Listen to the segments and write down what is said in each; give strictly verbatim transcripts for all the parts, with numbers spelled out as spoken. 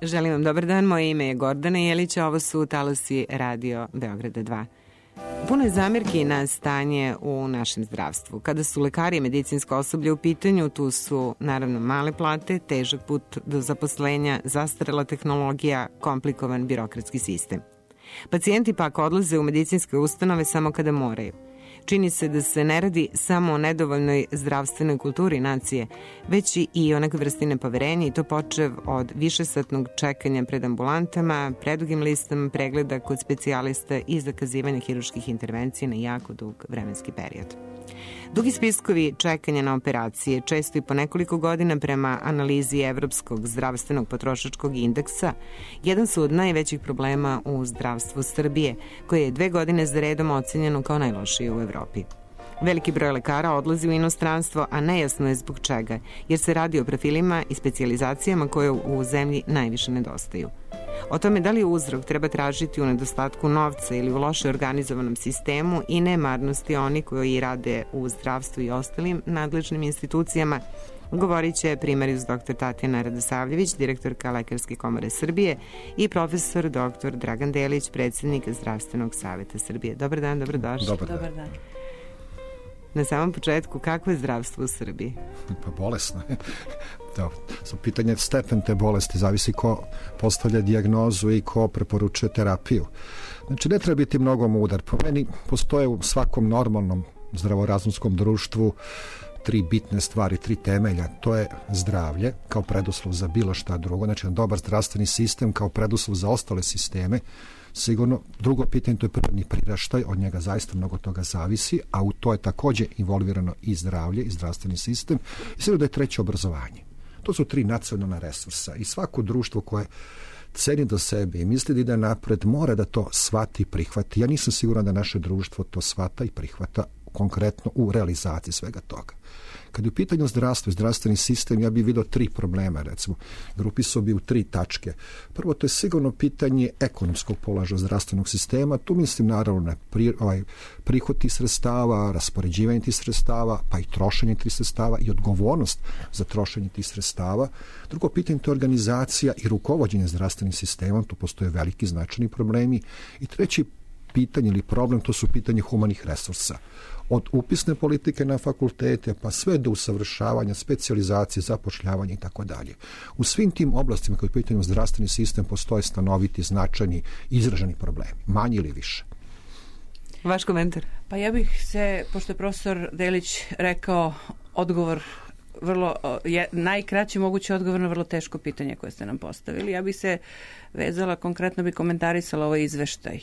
Želim vam dobar dan, moje ime je Gordana Jelić, a ovo su Talasi Radio Beograda dva. Puno je zamirki na stanje u našem zdravstvu. Kada su lekari i medicinsko osoblje u pitanju, tu su naravno male plate, težak put do zaposlenja, zastarela tehnologija, komplikovan birokratski sistem. Pacijenti pak odlaze u medicinske ustanove samo kada moraju. Čini se da se ne radi samo o nedovoljnoj zdravstvenoj kulturi nacije, već i o nekoj vrsti nepoverenja, i to počev od višesatnog čekanja pred ambulantama, predugim listama pregleda kod specijalista i zakazivanja hirurških intervencija na jako dug vremenski period. Dugi spiskovi čekanja na operacije, često i po nekoliko godina prema analizi Evropskog zdravstvenog potrošačkog indeksa, jedan su od najvećih problema u zdravstvu Srbije, koje je dve godine za redom ocenjeno kao najlošije u Evropi. Veliki broj lekara odlazi u inostranstvo, a nejasno je zbog čega, jer se radi o profilima i specijalizacijama koje u zemlji najviše nedostaju. O tome da li uzrok treba tražiti u nedostatku novca ili u loše organizovanom sistemu i nemarnosti oni koji rade u zdravstvu i ostalim nadležnim institucijama, govorit će primarijus dr Tatjana Radosavljević, direktorka Lekarske komore Srbije, i profesor dr Dragan Delić, predsjednik Zdravstvenog saveta Srbije. Dobar dan, dobrodošli. Dobar dan. Dobar dan. Na samom početku, kako je zdravstvo u Srbiji? Pa bolesno je. Da, so pitanje stepen te bolesti, zavisi ko postavlja dijagnozu i ko preporučuje terapiju. Znači, ne treba biti mnogo mudar. Po meni postoje u svakom normalnom zdravorazumskom društvu tri bitne stvari, tri temelja. To je zdravlje kao preduslov za bilo šta drugo, znači dobar zdravstveni sistem kao preduslov za ostale sisteme. Sigurno, drugo pitanje, to je prirodni priraštaj, od njega zaista mnogo toga zavisi, a u to je također involvirano i zdravlje i zdravstveni sistem. I sigurno da je treće obrazovanje. To su tri nacionalna resursa i svako društvo koje ceni do sebe i misli da ide napred mora da to shvati i prihvati. Ja nisam siguran da naše društvo to shvata i prihvata konkretno u realizaciji svega toga. Kad je u pitanju zdravstvo i zdravstveni sistem, ja bih vidio tri problema, recimo. Grupisao bi u tri tačke. Prvo, to je sigurno pitanje ekonomskog položaja zdravstvenog sistema. Tu mislim naravno na pri, ovaj, prihod tih sredstava, raspoređivanje tih sredstava, pa i trošenje tih sredstava i odgovornost za trošenje tih sredstava. Drugo pitanje, to je organizacija i rukovođenje zdravstvenim sistemom. Tu postoje veliki značajni problemi. I treći pitanje ili problem, to su pitanje humanih resursa. Od upisne politike na fakultete pa sve do usavršavanja, specijalizacije, zapošljavanja i tako dalje. U svim tim oblastima koji pitaju zdravstveni sistem postoje stanoviti, značajni, izraženi problemi, manji ili više. Vaš komentar? Pa ja bih se, pošto je profesor Delić rekao odgovor, vrlo, je, najkraći mogući odgovor na vrlo teško pitanje koje ste nam postavili. Ja bih se vezala, konkretno bi komentarisala ovaj izveštaj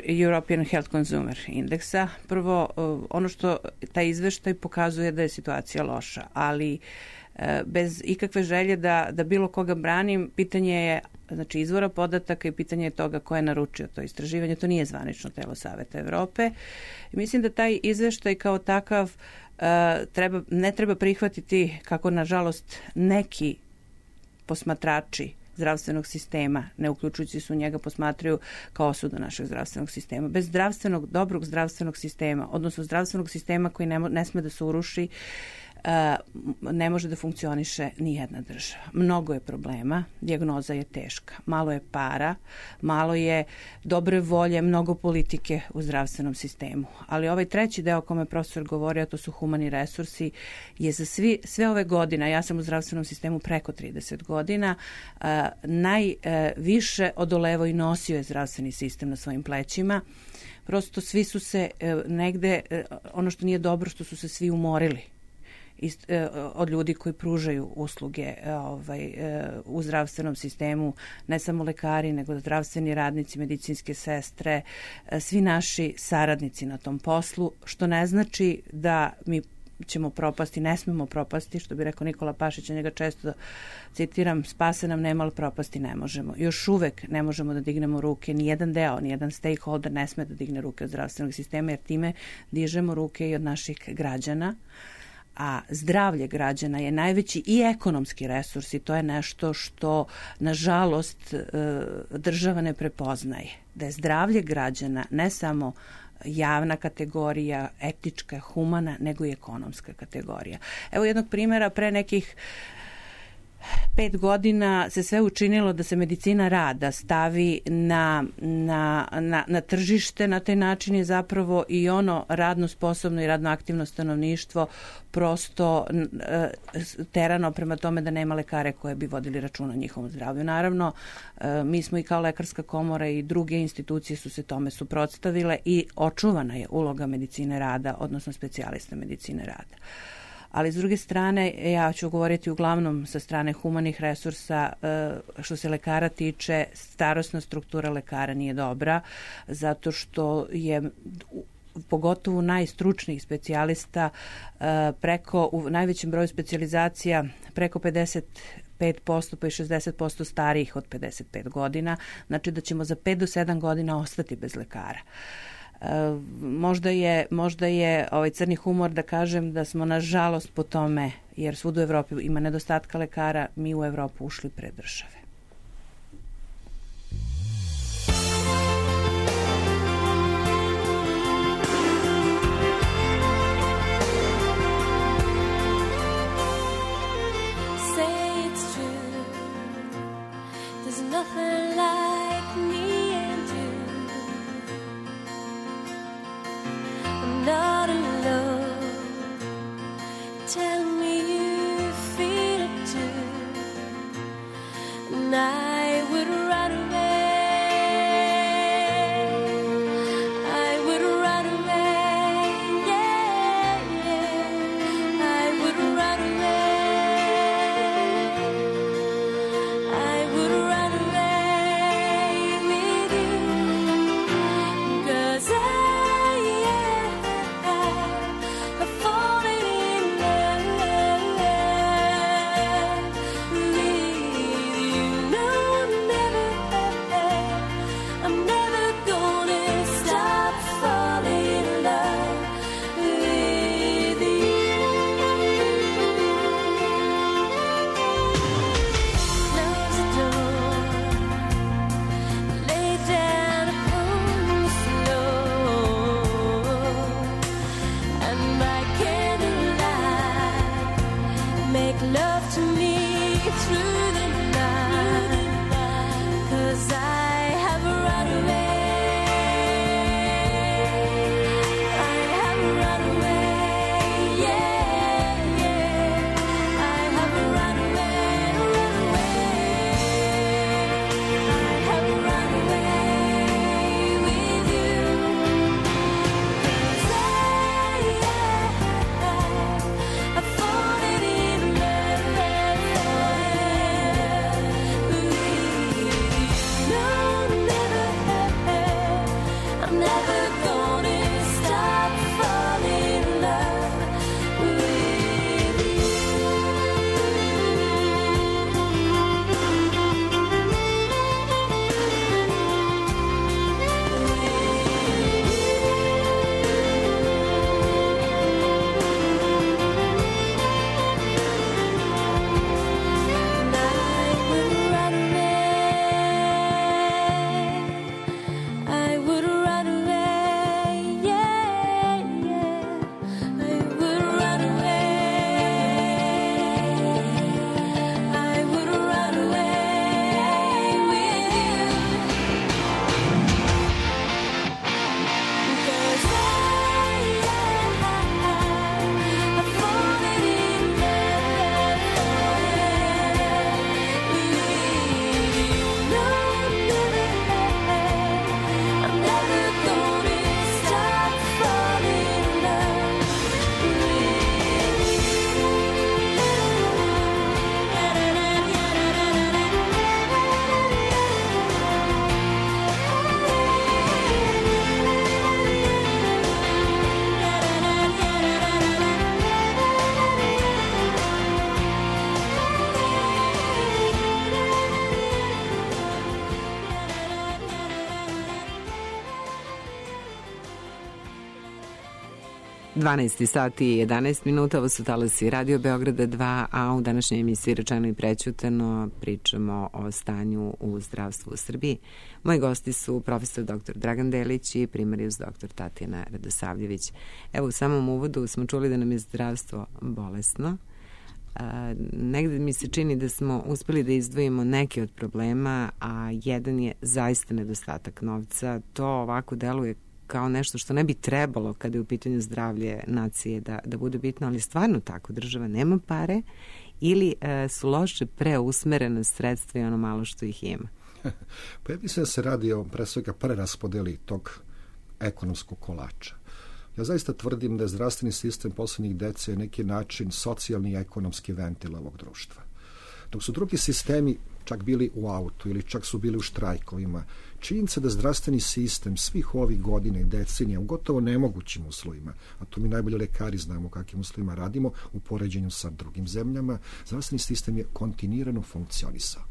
European Health Consumer Indeksa. Prvo, ono što taj izveštaj pokazuje da je situacija loša, ali bez ikakve želje da, da bilo koga branim, pitanje je znači izvora podataka i pitanje je toga ko je naručio to istraživanje. To nije zvanično telo Saveta Evrope. I mislim da taj izveštaj kao takav treba, ne treba prihvatiti kako nažalost neki posmatrači zdravstvenog sistema, ne uključujući se u njega, posmatraju kao osudu našeg zdravstvenog sistema. Bez zdravstvenog, dobrog zdravstvenog sistema, odnosno zdravstvenog sistema koji ne, ne sme da se uruši, ne može da funkcioniše ni jedna država. Mnogo je problema, dijagnoza je teška, malo je para, malo je dobre volje, mnogo politike u zdravstvenom sistemu. Ali ovaj treći deo o kome profesor govori, a to su humani resursi, je za svi, sve ove godine, ja sam u zdravstvenom sistemu preko trideset godina, najviše odolevo i nosio je zdravstveni sistem na svojim plećima. Prosto svi su se negde, ono što nije dobro, što su se svi umorili od ljudi koji pružaju usluge ovaj, u zdravstvenom sistemu, ne samo lekari, nego zdravstveni radnici, medicinske sestre, svi naši saradnici na tom poslu, što ne znači da mi ćemo propasti, ne smemo propasti, što bi rekao Nikola Pašić, a njega često citiram, spase nam nema, ali propasti ne možemo. Još uvek ne možemo da dignemo ruke, ni jedan deo, ni jedan stakeholder ne sme da digne ruke od zdravstvenog sistema, jer time dižemo ruke i od naših građana. A zdravlje građana je najveći i ekonomski resurs i to je nešto što, nažalost, država ne prepoznaje. Da je zdravlje građana ne samo javna kategorija, etička, humana, nego i ekonomska kategorija. Evo jednog primjera, pre nekih pet godina se sve učinilo da se medicina rada stavi na, na, na, na tržište. Na taj način je zapravo i ono radno sposobno i radno aktivno stanovništvo prosto terano prema tome da nema lekare koje bi vodili računa o njihovom zdravlju. Naravno, mi smo i kao Lekarska komora i druge institucije su se tome suprotstavile i očuvana je uloga medicine rada, odnosno specijalista medicine rada. Ali s druge strane, ja ću govoriti uglavnom sa strane humanih resursa, što se lekara tiče, starosna struktura lekara nije dobra, zato što je pogotovo najstručnijih specijalista preko, u najvećem broju specijalizacija preko pedeset pet posto pa i šezdeset posto starijih od pedeset pet godina, znači da ćemo za pet do sedam godina ostati bez lekara. Možda je, možda je ovaj crni humor da kažem da smo nažalost po tome, jer svud u Evropi ima nedostatka lekara, mi u Evropu ušli pre države. dvanaest sati i jedanaest minuta, ovo su talasi Radio Beograda dva, a u današnjoj emisiji Rečeno i prećutano pričamo o stanju u zdravstvu u Srbiji. Moji gosti su profesor doktor Dragan Delić i primarijus doktor Tatjana Radosavljević. Evo, u samom uvodu smo čuli da nam je zdravstvo bolesno, A, negde mi se čini da smo uspeli da izdvojimo neke od problema, a jedan je zaista nedostatak novca. To ovako deluje kao nešto što ne bi trebalo kada je u pitanju zdravlje nacije da, da bude bitno, ali stvarno tako, država nema pare ili e, su loše preusmerena sredstva i ono malo što ih ima. Pa ja mislim da se radi o pre svega preraspodeli tog ekonomskog kolača. Ja zaista tvrdim da je zdravstveni sistem poslednjih decenija neki način socijalni i ekonomski ventil ovog društva. Dok su drugi sistemi čak bili u autu ili čak su bili u štrajkovima, činjenica da zdravstveni sistem svih ovih godina i decenija u gotovo nemogućim uslovima, a to mi najbolje lekari znamo u kakvim uslovima radimo u poređenju sa drugim zemljama, zdravstveni sistem je kontinuirano funkcionisao.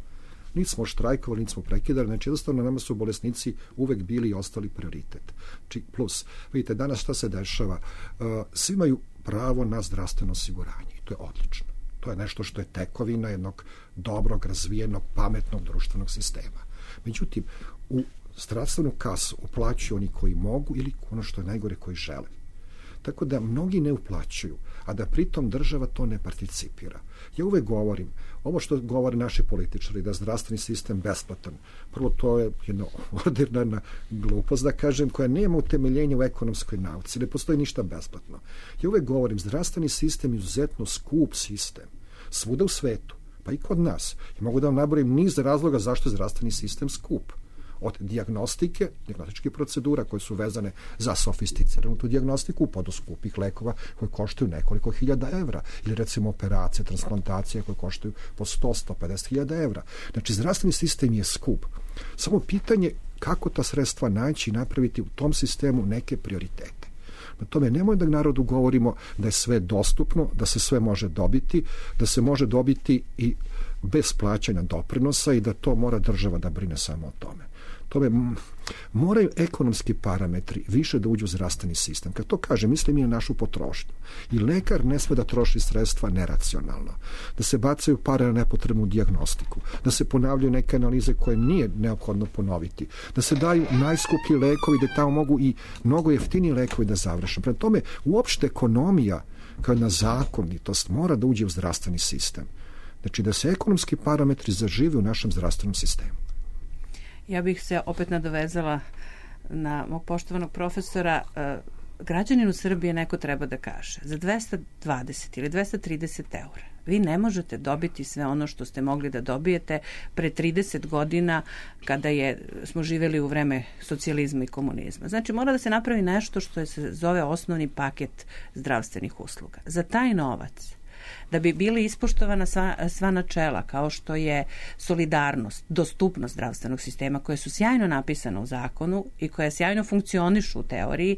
Niti smo štrajkovali, niti smo prekidali, znači jednostavno nama su bolesnici uvek bili i ostali prioritet. Či plus, vidite, danas šta se dešava? Svi imaju pravo na zdravstveno osiguranje i to je odlično. To je nešto što je tekovina jednog dobrog, razvijenog, pametnog društvenog sistema. Međutim, u zdravstvenu kasu uplaćuju oni koji mogu ili ono što je najgore koji žele. Tako da mnogi ne uplaćuju, a da pritom država to ne participira. Ja uvek govorim, ovo što govore naši političari, da je zdravstveni sistem besplatan, prvo to je jedna ordinarna glupost, da kažem, koja nema utemeljenja u ekonomskoj nauci, ne postoji ništa besplatno. Ja uvek govorim, zdravstveni sistem je izuzetno skup sistem, svuda u svetu, pa i kod nas. I mogu da vam nabrojim niz razloga zašto je zdravstveni sistem skup. Od dijagnostike, dijagnostičkih procedura koje su vezane za sofisticiranu tu dijagnostiku, pa do skupih lekova koji koštaju nekoliko hiljada evra, ili recimo operacije, transplantacije koje koštaju po sto do sto pedeset hiljada evra. Znači, zdravstveni sistem je skup. Samo pitanje kako ta sredstva naći i napraviti u tom sistemu neke prioritete. Na tome nemoj da narodu govorimo da je sve dostupno, da se sve može dobiti, da se može dobiti i bez plaćanja doprinosa i da to mora država da brine samo o tome. Tome moraju ekonomski parametri više da uđu u zdravstveni sistem. Kad to kaže, mislim i na našu potrošnju. I lekar ne sme da troši sredstva neracionalno, da se bacaju pare na nepotrebnu dijagnostiku, da se ponavljaju neke analize koje nije neophodno ponoviti, da se daju najskuplji lekovi, da tamo mogu i mnogo jeftiniji lekovi da završe. Prema tome, uopšte ekonomija kao jedna zakonitost mora da uđe u zdravstveni sistem. Znači da se ekonomski parametri zažive u našem zdravstvenom sistemu. Ja bih se opet nadovezala na mog poštovanog profesora. Građaninu Srbije neko treba da kaže, za dvesta dvadeset ili dvesta trideset eura vi ne možete dobiti sve ono što ste mogli da dobijete pre trideset godina kada je, smo živeli u vreme socijalizma i komunizma. Znači, mora da se napravi nešto što se zove osnovni paket zdravstvenih usluga. Za taj novac, da bi bili ispoštovana sva, sva načela, kao što je solidarnost, dostupnost zdravstvenog sistema, koje su sjajno napisane u zakonu i koje sjajno funkcionišu u teoriji,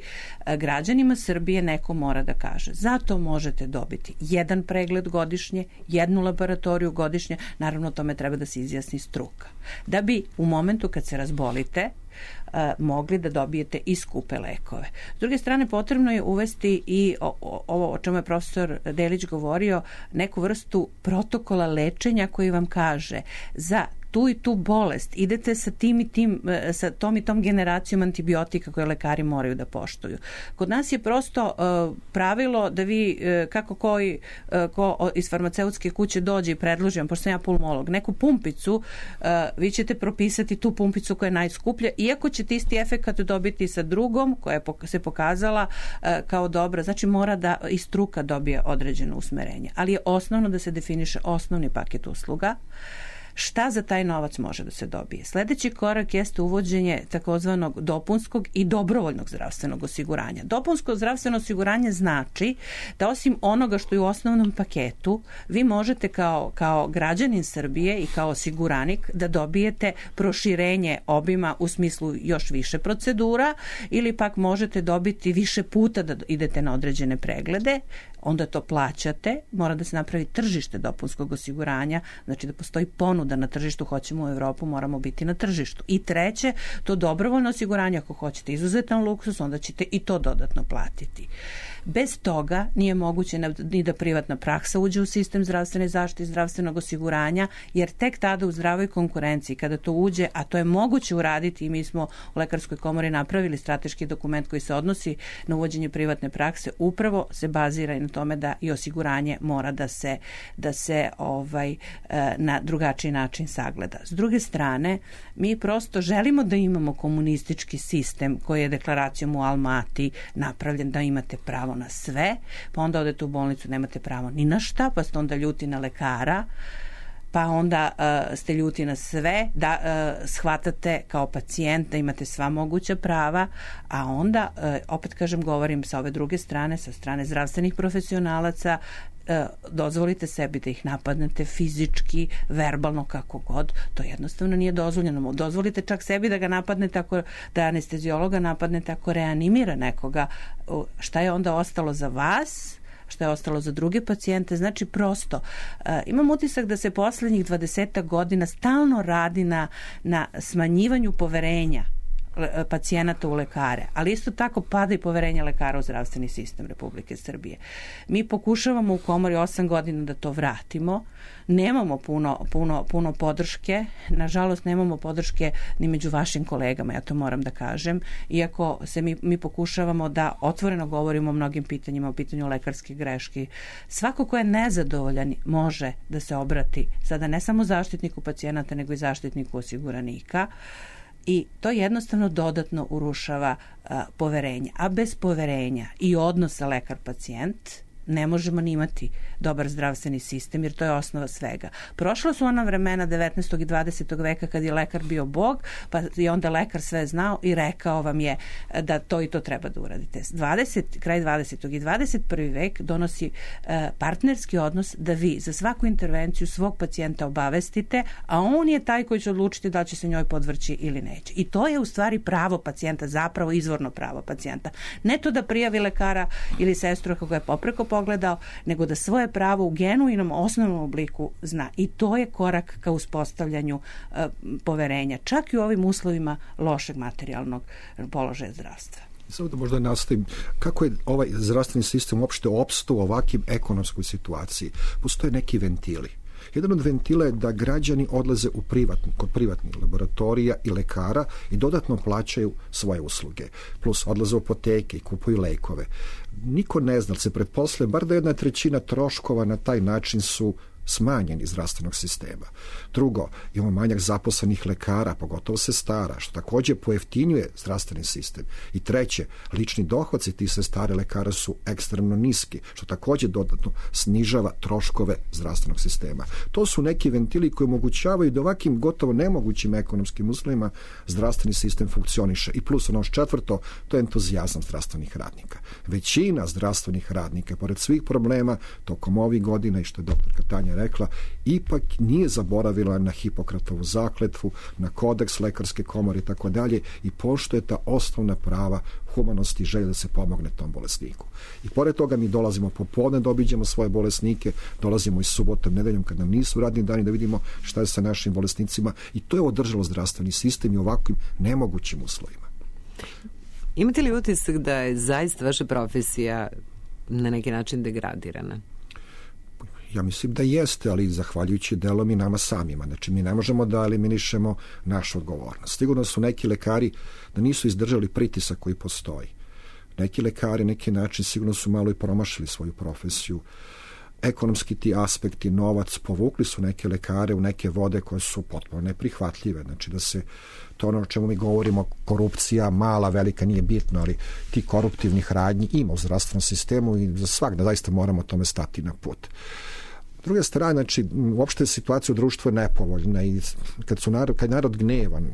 građanima Srbije neko mora da kaže. Zato možete dobiti jedan pregled godišnje, jednu laboratoriju godišnje, naravno tome treba da se izjasni struka. Da bi u momentu kad se razbolite, mogli da dobijete i skupe lekove. S druge strane, potrebno je uvesti i ovo o čemu je profesor Delić govorio, neku vrstu protokola lečenja koji vam kaže za tu i tu bolest idete sa tim i tim, sa tom i tom generacijom antibiotika koje lekari moraju da poštuju. Kod nas je prosto uh, pravilo da vi, uh, kako koji uh, ko iz farmaceutske kuće dođe i predloži vam, pošto sam ja pulmolog, neku pumpicu, uh, vi ćete propisati tu pumpicu koja je najskuplja, iako ćete isti efekat dobiti sa drugom koja je se pokazala uh, kao dobra. Znači, mora da i struka dobije određeno usmerenje. Ali je osnovno da se definiše osnovni paket usluga. Šta za taj novac može da se dobije? Sledeći korak jeste uvođenje takozvanog dopunskog i dobrovoljnog zdravstvenog osiguranja. Dopunsko zdravstveno osiguranje znači da osim onoga što je u osnovnom paketu, vi možete kao, kao građanin Srbije i kao osiguranik da dobijete proširenje obima u smislu još više procedura ili pak možete dobiti više puta da idete na određene preglede, onda to plaćate, mora da se napravi tržište dopunskog osiguranja, znači da postoji ponuda na tržištu, hoćemo u Evropu, moramo biti na tržištu. I treće, to dobrovoljno osiguranje, ako hoćete izuzetan luksus, onda ćete i to dodatno platiti. Bez toga nije moguće ni da privatna praksa uđe u sistem zdravstvene zaštite i zdravstvenog osiguranja, jer tek tada u zdravoj konkurenciji, kada to uđe, a to je moguće uraditi i mi smo u Lekarskoj komori napravili strateški dokument koji se odnosi na uvođenje privatne prakse, upravo se bazira i na tome da i osiguranje mora da se, da se ovaj, na drugačiji način sagleda. S druge strane, mi prosto želimo da imamo komunistički sistem koji je deklaracijom u Almati napravljen da imate pravo na sve, pa onda odete u bolnicu, nemate pravo ni na šta, pa ste onda ljuti na lekara, pa onda uh, ste ljuti na sve, da uh, shvatate kao pacijent da imate sva moguća prava, a onda, uh, opet kažem, govorim sa ove druge strane, sa strane zdravstvenih profesionalaca, dozvolite sebi da ih napadnete fizički, verbalno, kako god, to jednostavno nije dozvoljeno. Dozvolite čak sebi da ga napadnete, ako, da anesteziologa napadnete ako reanimira nekoga. Šta je onda ostalo za vas? Šta je ostalo za druge pacijente? Znači, prosto, uh, imam utisak da se poslednjih dvadesetak godina stalno radi na, na smanjivanju poverenja pacijenata u lekare, ali isto tako pada i poverenje lekara u zdravstveni sistem Republike Srbije. Mi pokušavamo u komori osam godina da to vratimo. Nemamo puno, puno, puno podrške. Nažalost, nemamo podrške ni među vašim kolegama, ja to moram da kažem. Iako se mi, mi pokušavamo da otvoreno govorimo o mnogim pitanjima, o pitanju lekarske greške. Svako ko je nezadovoljan može da se obrati sada ne samo zaštitniku pacijenata, nego i zaštitniku osiguranika. I to jednostavno dodatno urušava a, poverenje. A bez poverenja i odnosa lekar-pacijent ne možemo ni imati dobar zdravstveni sistem, jer to je osnova svega. Prošla su ona vremena devetnaestog i dvadesetog veka kad je lekar bio bog, pa je onda lekar sve znao i rekao vam je da to i to treba da uradite. dvadeset kraj dvadesetog i dvadeset prvi vek donosi uh, partnerski odnos da vi za svaku intervenciju svog pacijenta obavestite, a on je taj koji će odlučiti da će se njoj podvrći ili neće. I to je u stvari pravo pacijenta, zapravo izvorno pravo pacijenta. Ne to da prijavi lekara ili sestru kako je popreko pogledao, nego da svoje pravo u genuinom osnovnom obliku zna. I to je korak ka uspostavljanju uh, poverenja, čak i u ovim uslovima lošeg materijalnog položaja zdravstva. Samo da možda nastavim, kako je ovaj zdravstveni sistem uopšte opstao u ovakvim ekonomskoj situaciji? Postoje neki ventili. Jedan od ventila je da građani odlaze u privatni, kod privatnih laboratorija i lekara i dodatno plaćaju svoje usluge. Plus odlaze u apoteke i kupuju lekove. Niko ne zna, se pretpostavlja, bar da jedna trećina troškova na taj način su smanjeni zdravstvenog sistema. Drugo, imamo manjak zaposlenih lekara, pogotovo sestara, što takođe pojeftinjuje zdravstveni sistem. I treće, lični dohodci tih sestara lekara su ekstremno niski, što takođe dodatno snižava troškove zdravstvenog sistema. To su neki ventili koji omogućavaju da ovakvim gotovo nemogućim ekonomskim uslovima zdravstveni sistem funkcioniše. I plus ono četvrto, to je entuzijazam zdravstvenih radnika. Većina zdravstvenih radnika, pored svih problema tokom ovih godina, i što je doktorka Tanja rekla, ipak nije zaboravila na Hipokratovu zakletvu, na kodeks lekarske komore i tako dalje i poštuje ta osnovna prava humanosti i želje da se pomogne tom bolesniku. I pored toga mi dolazimo popodne da obiđemo svoje bolesnike, dolazimo i subotom, nedeljom kad nam nisu radni dani da vidimo šta je sa našim bolesnicima i to je održalo zdravstveni sistem i ovakvim nemogućim uslovima. Imate li utisak da je zaista vaša profesija na neki način degradirana? Ja mislim da jeste, ali zahvaljujući delom i nama samima. Znači, mi ne možemo da eliminišemo našu odgovornost. Sigurno su neki lekari da nisu izdržali pritisak koji postoji. Neki lekari, neki način, sigurno su malo i promašili svoju profesiju. Ekonomski ti aspekti, novac, povukli su neke lekare u neke vode koje su potpuno neprihvatljive. Znači, da se to ono o čemu mi govorimo, korupcija, mala, velika, nije bitno, ali ti koruptivnih radnji ima u zdravstvenom sistemu i za svak da zaista moramo tome stati na put. S druge strane, znači, uopšte situacija u društvu je nepovoljna i kad, su narod, kad je narod gnevan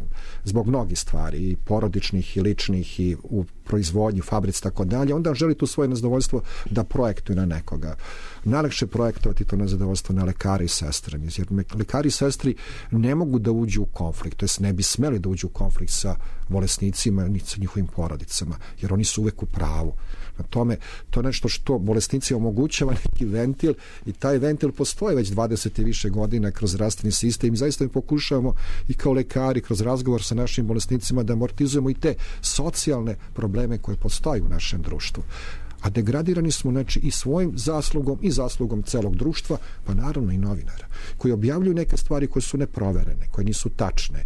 zbog mnogih stvari, i porodičnih i ličnih i u proizvodnji, fabrici, tako dalje, onda želi tu svoje nezadovoljstvo da projektuje na nekoga. Najlakše projektovati to nezadovoljstvo na lekari i sestre, jer lekari i sestri ne mogu da uđu u konflikt, to jest ne bi smeli da uđu u konflikt sa bolesnicima ni sa njihovim porodicama, jer oni su uvek u pravu. Na tome, to je nešto što bolesnici omogućava neki ventil i taj ventil postoji već dvadeset i više godina kroz zdravstveni sistem i zaista mi pokušavamo i kao lekari kroz razgovor sa našim bolesnicima da amortizujemo i te socijalne probleme koje postoje u našem društvu. A degradirani smo, znači, i svojim zaslugom i zaslugom celog društva, pa naravno i novinara, koji objavljuju neke stvari koje su neproverene, koje nisu tačne,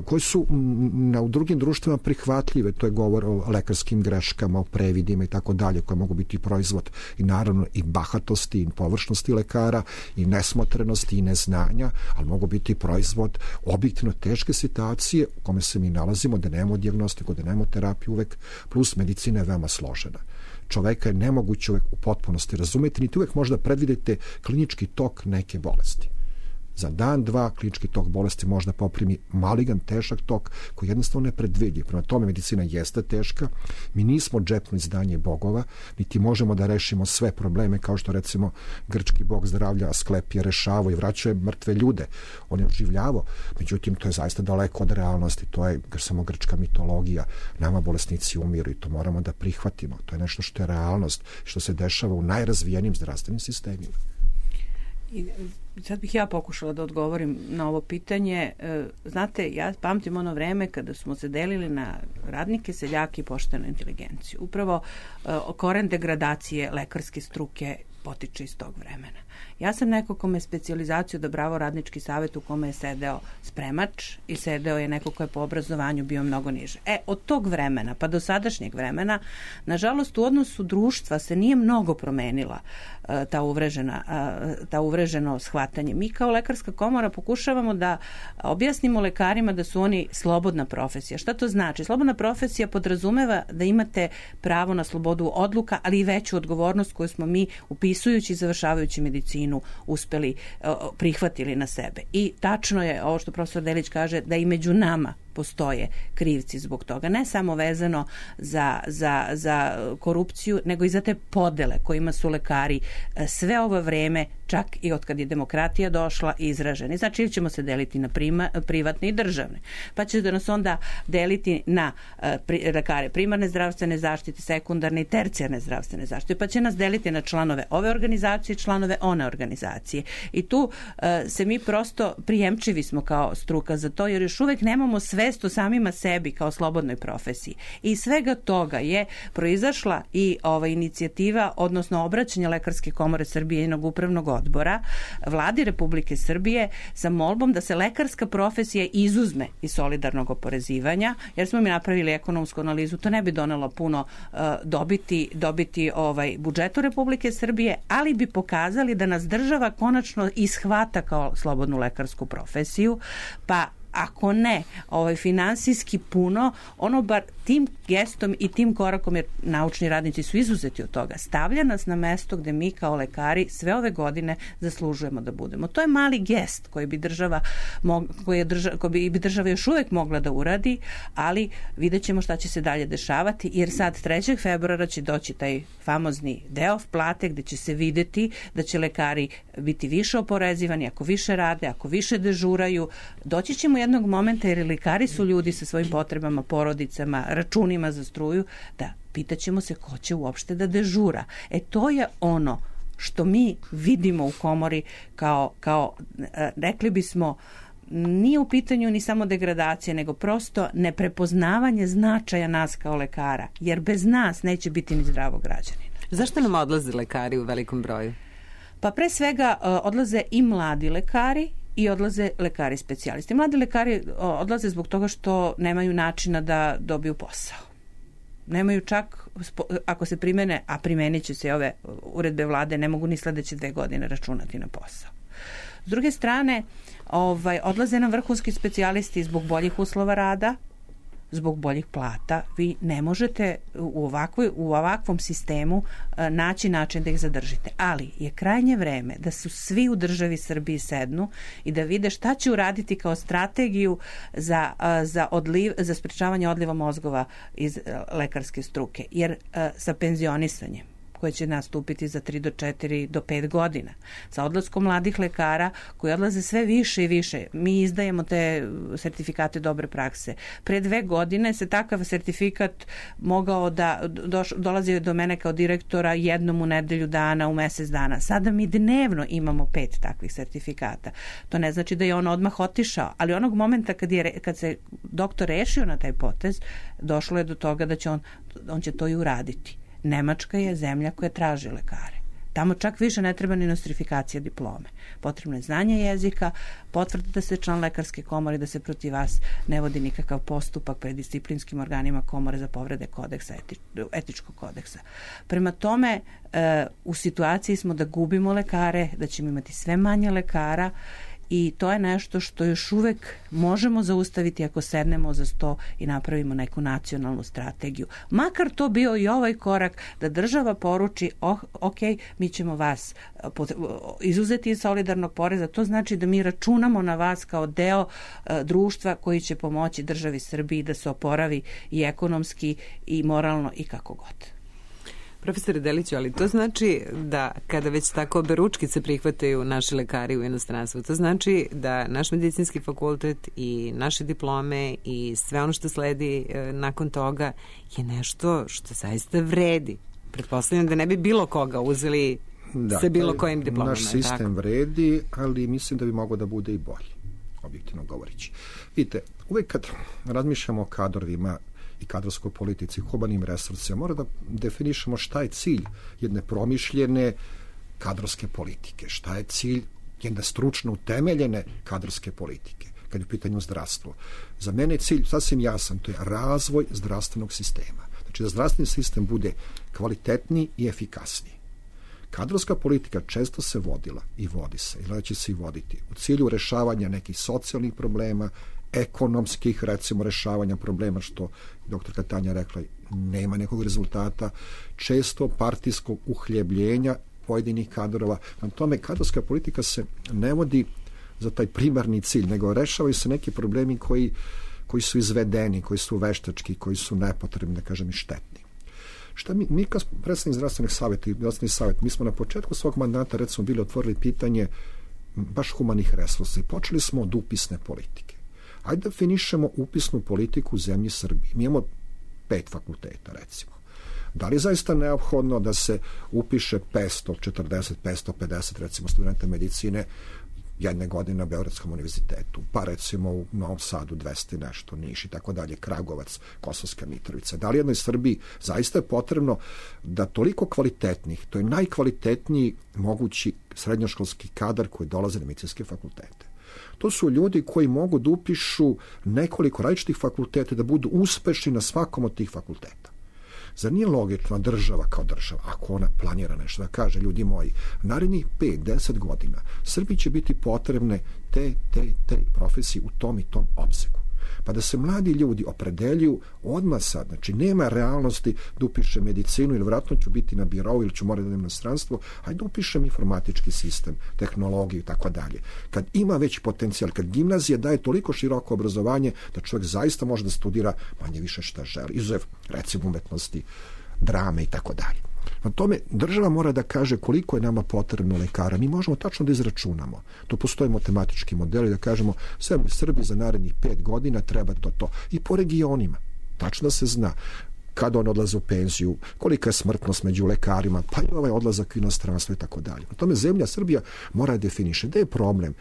koje su na, u drugim društvima prihvatljive, to je govor o lekarskim greškama, o previdima i tako dalje, koje mogu biti proizvod i naravno i bahatosti i površnosti lekara i nesmotrenosti i neznanja, ali mogu biti proizvod objektivno teške situacije u kome se mi nalazimo, da nemamo dijagnostiku, da nemamo terapiju uvek, plus medicina je veoma složena. Čoveka je nemoguće uvek u potpunosti razumeti, niti uvek možda predvidite klinički tok neke bolesti. Za dan, dva, klinički tok bolesti možda poprimi maligan, težak tok koji jednostavno ne predvidljiv. Prema tome, medicina jeste teška. Mi nismo džepno izdanje bogova, niti možemo da rešimo sve probleme, kao što recimo grčki bog zdravlja Asklepije rešavao i vraćao je mrtve ljude. On je oživljavao. Međutim, to je zaista daleko od realnosti. To je samo grčka mitologija. Nama bolesnici umiru i to moramo da prihvatimo. To je nešto što je realnost, što se dešava u najrazvijenijim zdravstvenim sistemima. I sad bih ja pokušala da odgovorim na ovo pitanje. Znate, ja pamtim ono vreme kada smo se delili na radnike, seljake i poštenu inteligenciju. Upravo koren degradacije lekarske struke potiče iz tog vremena. Ja sam neko kome je specijalizaciju odabrao radnički savjet u kome je sedeo spremač i sedeo je neko ko je po obrazovanju bio mnogo niže. E, od tog vremena pa do sadašnjeg vremena, nažalost, u odnosu društva se nije mnogo promenila uh, ta, uvrežena, uh, ta uvreženo shvatanje. Mi kao lekarska komora pokušavamo da objasnimo lekarima da su oni slobodna profesija. Šta to znači? Slobodna profesija podrazumeva da imate pravo na slobodu odluka, ali i veću odgovornost koju smo mi upisujući i završavajući medicinu uspeli, prihvatili na sebe. I tačno je ovo što profesor Delić kaže, da i među nama postoje krivci zbog toga. Ne samo vezano za, za, za korupciju, nego i za te podele kojima su lekari sve ovo vreme, čak i od kad je demokratija došla, izraženi. Znači, ili ćemo se deliti na prima, privatne i državne. Pa će da nas onda deliti na pri, lekare primarne zdravstvene zaštite, sekundarne i tercijarne zdravstvene zaštite. Pa će nas deliti na članove ove organizacije i članove one organizacije. I tu uh, se mi prosto prijemčivi smo kao struka za to, jer još uvek nemamo svest o samima sebi kao slobodnoj profesiji. I svega toga je proizašla i ova inicijativa, odnosno obraćanje Lekarske komore Srbije i njenog upravnog odbora Vladi Republike Srbije sa molbom da se lekarska profesija izuzme iz solidarnog oporezivanja, jer smo mi napravili ekonomsku analizu, to ne bi donelo puno uh, dobiti, dobiti ovaj budžetu Republike Srbije, ali bi pokazali da nas država konačno ishvata kao slobodnu lekarsku profesiju, pa ako ne, ovaj, finansijski puno, ono bar tim gestom i tim korakom, jer naučni radnici su izuzeti od toga, stavlja nas na mesto gde mi kao lekari sve ove godine zaslužujemo da budemo. To je mali gest koji bi država, koji je država, koji bi država još uvek mogla da uradi, ali vidjet ćemo šta će se dalje dešavati, jer sad trećeg februara će doći taj famozni deo plate gde će se videti da će lekari biti više oporezivani, ako više rade, ako više dežuraju. Doći ćemo jednog momenta, jer lekari su ljudi sa svojim potrebama, porodicama, računima za struju, da pitaćemo se ko će uopšte da dežura. E to je ono što mi vidimo u komori kao, kao rekli bismo, nije u pitanju ni samo degradacija, nego prosto neprepoznavanje značaja nas kao lekara, jer bez nas neće biti ni zdravog građanina. Zašto nam odlaze lekari u velikom broju? Pa pre svega odlaze i mladi lekari i odlaze lekari specijalisti. Mladi lekari odlaze zbog toga što nemaju načina da dobiju posao. Nemaju čak, ako se primene, a primenit će se ove uredbe vlade, ne mogu ni sledeće dve godine računati na posao. S druge strane, ovaj, odlaze nam vrhunski specijalisti zbog boljih uslova rada, zbog boljih plata. Vi ne možete u, ovakvoj, u ovakvom sistemu naći način da ih zadržite. Ali je krajnje vreme da su svi u državi Srbiji sednu i da vide šta će uraditi kao strategiju za, za, odliv, za sprečavanje odliva mozgova iz lekarske struke. Jer sa penzionisanjem koje će nastupiti za tri do četiri do pet godina. Sa odlaskom mladih lekara koji odlaze sve više i više. Mi izdajemo te sertifikate dobre prakse. Pre dve godine se takav sertifikat mogao da doš, dolazi do mene kao direktora jednom u nedelju dana, u mesec dana. Sada mi dnevno imamo pet takvih sertifikata. To ne znači da je on odmah otišao, ali onog momenta kad, je, kad se doktor rešio na taj potez, došlo je do toga da će on, on će to i uraditi. Nemačka je zemlja koja traži lekare. Tamo čak više ne treba ni nostrifikacija diplome. Potrebno je znanje jezika, potvrda da ste član lekarske komore, da se protiv vas ne vodi nikakav postupak pred disciplinskim organima komore za povrede kodeksa, eti, etičkog kodeksa. Prema tome, e, u situaciji smo da gubimo lekare, da ćemo imati sve manje lekara i to je nešto što još uvek možemo zaustaviti ako sednemo za sto i napravimo neku nacionalnu strategiju. Makar to bio i ovaj korak da država poruči, oh, ok, mi ćemo vas izuzeti iz solidarnog poreza, to znači da mi računamo na vas kao deo uh, društva koji će pomoći državi Srbiji da se oporavi i ekonomski i moralno i kako god. Profesore Deliću, ali to znači da kada već tako oberučkice prihvataju naši lekari u inostranstvu, to znači da naš medicinski fakultet i naše diplome i sve ono što sledi e, nakon toga je nešto što zaista vredi. Pretpostavljam da ne bi bilo koga uzeli da, sa bilo kojim diplomama. Naš sistem tako vredi, ali mislim da bi mogao da bude i bolji, objektivno govoreći. Vidite, uvek kad razmišljamo o kadrovima i kadrovskoj politici, humanim resursima, mora da definišemo šta je cilj jedne promišljene kadrovske politike, šta je cilj jedne stručno utemeljene kadrovske politike, kad je u pitanju zdravstvo. Za mene je cilj sasvim jasan, to je razvoj zdravstvenog sistema. Znači da zdravstveni sistem bude kvalitetniji i efikasniji. Kadrovska politika često se vodila i vodi se, i će se i voditi u cilju rešavanja nekih socijalnih problema, ekonomskih, recimo, rešavanja problema, što doktorka Tanja rekla, nema nekog rezultata, često partijskog uhljebljenja pojedinih kadrova. Na tome, kadrovska politika se ne vodi za taj primarni cilj, nego rešavaju se neki problemi koji, koji su izvedeni, koji su veštački, koji su nepotrebni, da kažem, i štetni. Šta mi, mi kao predstavnik zdravstvenih savjeta i zdravstveni savjet, mi smo na početku svog mandata, recimo, bili otvorili pitanje baš humanih resursa i počeli smo od upisne politike. Hajde da finišemo upisnu politiku u zemlji Srbiji. Mi imamo pet fakulteta, recimo. Da li je zaista neophodno da se upiše petsto četrdeset, petsto pedeset, recimo, studenta medicine jedne godine na Beogradskom univerzitetu, pa recimo u Novom Sadu dvesta i nešto, Niš i tako dalje, Kragovac, Kosovska Mitrovica. Da li jednoj Srbiji zaista je potrebno da toliko kvalitetnih, to je najkvalitetniji mogući srednjoškolski kadar koji dolaze na medicinske fakultete. To su ljudi koji mogu da upišu nekoliko različitih fakulteta da budu uspešni na svakom od tih fakulteta. Zar nije logično država kao država, ako ona planira nešto, da kaže, ljudi moji, narednih pet do deset godina Srbiji će biti potrebne te, te, te profesije u tom i tom opsegu. Pa da se mladi ljudi opredeljuju odmah sad, znači nema realnosti da upišem medicinu ili vratno ću biti na birou ili ću morati da idem na stranstvo, hajde upišem informatički sistem, tehnologiju i tako dalje. Kad ima veći potencijal, kad gimnazija daje toliko široko obrazovanje da čovjek zaista može da studira manje više šta želi, izuzev recimo umetnosti, drame i tako dalje. Na tome država mora da kaže koliko je nama potrebno lekara. Mi možemo tačno da izračunamo. To postoje matematički modeli da kažemo sve Srbiji za narednih pet godina treba to to. I po regionima. Tačno da se zna kada on odlaze u penziju, kolika je smrtnost među lekarima, pa i ovaj odlazak u inostranstvo i tako dalje. Na tome zemlja Srbija mora da definiše. Da je problem?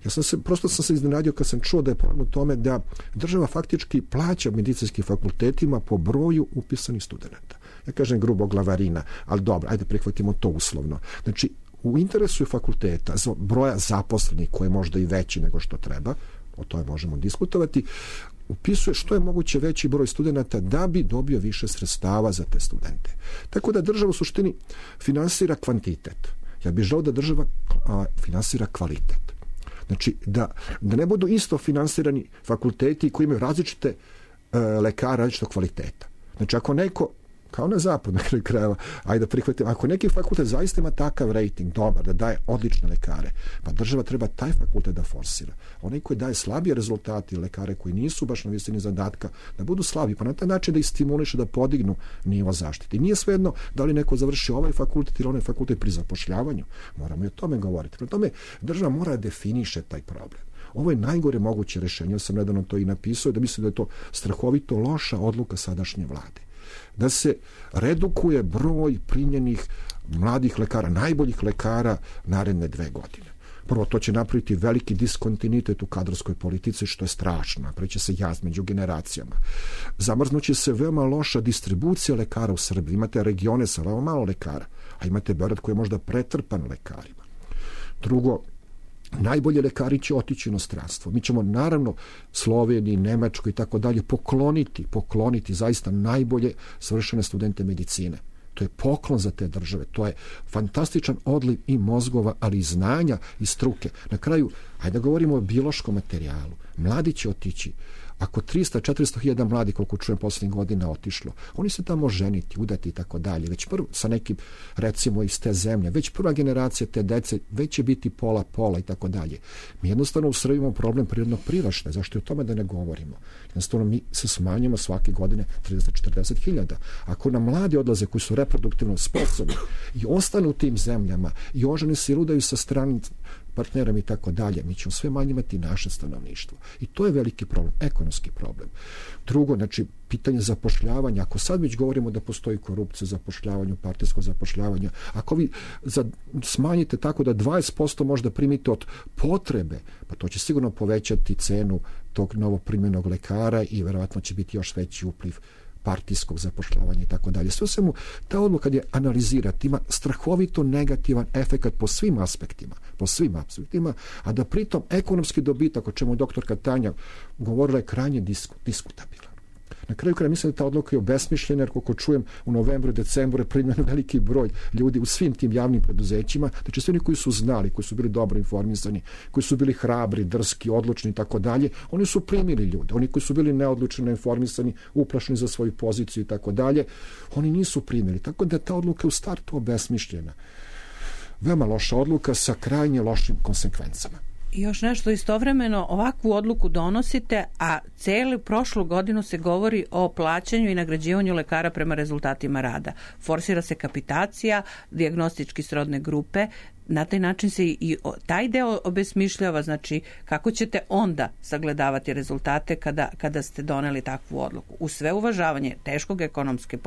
Ja sam se, prosto sam se iznenadio kad sam čuo da je problem u tome da država faktički plaća medicinskim fakultetima po broju upisanih studenta. Ja kažem grubo glavarina, ali dobro, ajde prihvatimo to uslovno. Znači, u interesu je fakulteta, broja zaposlenih, koji je možda i veći nego što treba, o tome možemo diskutovati, upisuje što je moguće veći broj studenta da bi dobio više sredstava za te studente. Tako da država u suštini finansira kvantitet. Ja bih želeo da država a, finansira kvalitet. Znači, da, da ne budu isto finansirani fakulteti koji imaju različite e, lekare, različitog kvaliteta. Znači, ako neko kao na zapad na kraju krajeva, ajde da prihvatim, ako neki fakultet zaista ima takav rating dobar, da daje odlične lekare, pa država treba taj fakultet da forsira. Onaj koji daje slabije rezultati, lekare koji nisu baš na visini zadatka, da budu slabi, pa na taj način da ih stimuliše da podignu nivo zaštite. I nije svejedno da li neko završi ovaj fakultet ili onaj fakultet pri zapošljavanju. Moramo i o tome govoriti. Prema tome, država mora da definiše taj problem. Ovo je najgore moguće rešenje. Ja sam nedavno to i napisao, da mislim da je to strahovito loša odluka sadašnje vlade. Da se redukuje broj primljenih mladih lekara, najboljih lekara naredne dve godine. Prvo, to će napraviti veliki diskontinuitet u kadrovskoj politici, što je strašno. Napravit će se jaz među generacijama. Zamrznuće se veoma loša distribucija lekara u Srbiji. Imate regione sa veoma malo lekara, a imate Beograd koji je možda pretrpan lekarima. Drugo, najbolji lekari će otići u inostranstvo. Mi ćemo naravno Sloveniji, Nemačkoj i tako dalje pokloniti, pokloniti zaista najbolje svršene studente medicine. To je poklon za te države. To je fantastičan odliv i mozgova, ali i znanja i struke. Na kraju, ajde da govorimo o biološkom materijalu. Mladi će otići. Ako trista do četiristo hiljada mladi, koliko čujem posljednjih godina, otišlo, oni se tamo ženiti, udati i tako dalje. Već prvo, sa nekim, recimo, iz te zemlje, već prva generacija te dece, već će biti pola, pola i tako dalje. Mi jednostavno u Srbiji imamo problem prirodnog priraštaja. Zašto je o tome da ne govorimo? Jednostavno, mi se smanjimo svake godine trideset do četrdeset hiljada. Ako nam mladi odlaze koji su reproduktivno sposobni i ostanu u tim zemljama i oženi se ludaju sa stranim partnerom i tako dalje, mi ćemo sve manje imati naše stanovništvo. I to je veliki problem, ekonomski problem. Drugo, znači, pitanje zapošljavanja. Ako sad već govorimo da postoji korupcija u zapošljavanju, partijskog zapošljavanja, ako vi za, smanjite tako da dvadeset posto možda primite od potrebe, pa to će sigurno povećati cenu tog novoprimljenog lekara i verovatno će biti još veći upliv partijskog zapošljavanja i tako dalje. Sve svemu, ta odluka kad je analizirati ima strahovito negativan efekat po svim aspektima, po svim aspektima, a da pritom ekonomski dobitak, o čemu je doktorka Tanja govorila, je krajnje disku, diskutabilan. Na kraju kraja mislim da ta odluka je obesmišljena, jer koliko čujem u novembru i decembru je primljen veliki broj ljudi u svim tim javnim preduzećima, znači svi oni koji su znali, koji su bili dobro informisani, koji su bili hrabri, drski, odlučni i tako dalje, oni su primili ljude. Oni koji su bili neodlučni, neinformisani, uplašeni za svoju poziciju i tako dalje, oni nisu primili. Tako da ta odluka je u startu obesmišljena. Veoma loša odluka sa krajnje lošim konsekvencama. I još nešto, istovremeno ovakvu odluku donosite, a celu prošlu godinu se govori o plaćanju i nagrađivanju lekara prema rezultatima rada. Forsira se kapitacija, dijagnostički srodne grupe, na taj način se i taj deo obesmišljava, znači kako ćete onda sagledavati rezultate kada, kada ste doneli takvu odluku. U sve uvažavanje teškog ekonomske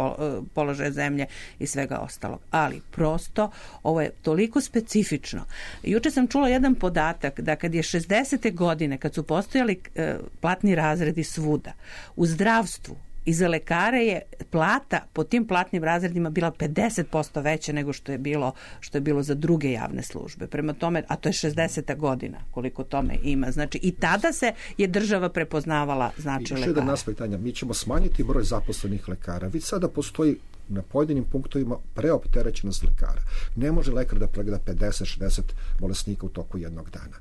položaja zemlje i svega ostalog. Ali prosto ovo je toliko specifično. Juče sam čula jedan podatak da kad je šezdesete godine, kad su postojali platni razredi svuda, u zdravstvu i za lekare je plata po tim platnim razredima bila pedeset posto veća nego što je bilo što je bilo za druge javne službe. Prema tome, a to je šezdeseta godina, koliko tome ima. Znači i tada se je država prepoznavala značaj lekara. I još jedan aspekt, Tanja, mi ćemo smanjiti broj zaposlenih lekara. Već sada postoji na pojedinim punktovima preopterećenost lekara. Ne može lekar da pregleda pedeset šezdeset bolesnika u toku jednog dana.